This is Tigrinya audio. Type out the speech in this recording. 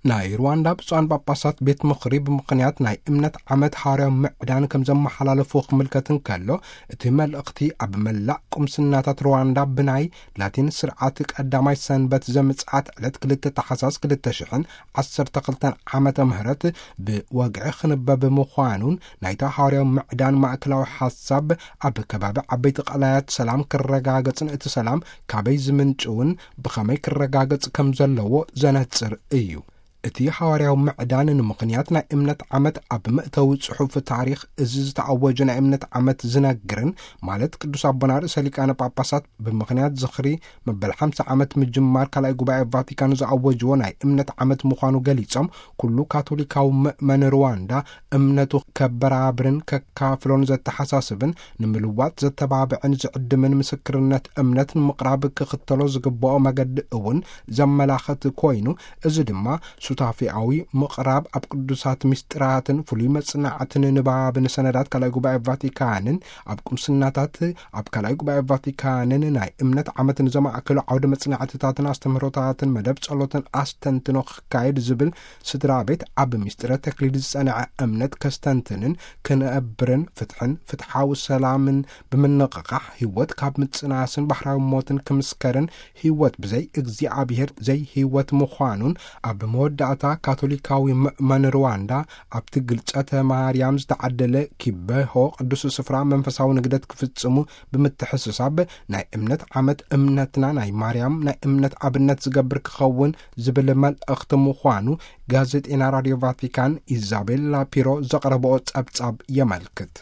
ናይ ሩዋንዳ ብፁዓን ጳጳሳት ቤት ምኽሪ ብምኽንያት ናይ እምነት ዓመት ሃዋርያዊ ምዕዳን ከም ዘመሓላለፉ ክምልከት እንከሎ፣ እቲ መልእኽቲ ኣብ መላእ ቁምስናታት ሩዋንዳ ብናይ ላቲን ስርዓት ቀዳማይ ሰንበት ዘምጽኣት ዕለት ክልተ ታሕሳስ ክልተ ሽሕን ዓሰርተ ክልተን ዓመተ ምህረት ብወግዒ ክንበብ ምዃኑን፣ ናይታ ሃዋርያዊ ምዕዳን ማእከላዊ ሓሳብ ኣብ ከባቢ ዓበይቲ ቀላያት ሰላም ክረጋገጽን እቲ ሰላም ካበይ ዝምንጭ እውን ብኸመይ ክረጋገጽ ከም ዘለዎ ዘነጽር እዩ። እቲ ሃዋርያዊ ምዕዳን ንምኽንያት ናይ እምነት ዓመት ኣብ መእተዊ ጽሑፍ ታሪኽ እዚ ዝተኣወጀ ናይ እምነት ዓመት ዝነግርን፣ ማለት ቅዱስ ኣቦና ርእሰ ሊቃነ ጳጳሳት ብምኽንያት ዝኽሪ መበል ሓምሳ ዓመት ምጅማር ካልኣይ ጉባኤ ቫቲካን ዝኣወጅዎ ናይ እምነት ዓመት ምዃኑ ገሊጾም፣ ኩሉ ካቶሊካዊ ምእመን ሩዋንዳ እምነቱ ከበራብርን ከካፍሎን ዘተሓሳስብን፣ ንምልዋጥ ዘተባብዕን ዝዕድምን ምስክርነት እምነት ንምቕራብ ክኽተሎ ዝግብኦ መገዲ እውን ዘመላኽት ኮይኑ፣ እዚ ድማ ሱታፌኣዊ ምቕራብ ኣብ ቅዱሳት ምስጢራትን ፍሉይ መጽናዕትን ንባብን ሰነዳት ካልኣይ ጉባኤ ቫቲካንን ኣብ ቁምስናታት ኣብ ካልኣይ ጉባኤ ቫቲካንን ናይ እምነት ዓመትን ዘማእከሉ ዓውደ መጽናዕትታትን ኣስተምህሮታትን መደብ ጸሎትን ኣስተንትኖ ክካየድ ዝብል ስድራ ቤት ኣብ ምስጢረ ተክሊል ዝጸንዐ እምነት ከስተንትንን ክነብርን ፍትሕን ፍትሓዊ ሰላምን ብምንቕቓሕ ህይወት ካብ ምጽናስን ባህራዊ ሞትን ክምስከርን ህይወት ብዘይ እግዚኣብሔር ዘይ ህይወት ምዃኑን ኣብ መወዳእታ ካቶሊካዊ ምእመን ሩዋንዳ ኣብቲ ግልጸተ ማርያም ዝተዓደለ ኪበሆ ቅዱስ ስፍራ መንፈሳዊ ንግደት ክፍጽሙ ብምትሕስሳብ ናይ እምነት ዓመት እምነትና ናይ ማርያም ናይ እምነት ኣብነት ዝገብር ክኸውን ዝብል መልእኽቲ ምዃኑ ጋዜጤና ራድዮ ቫቲካን ኢዛቤላ ፒሮ ዘቕረብኦ ጸብጻብ የመልክት።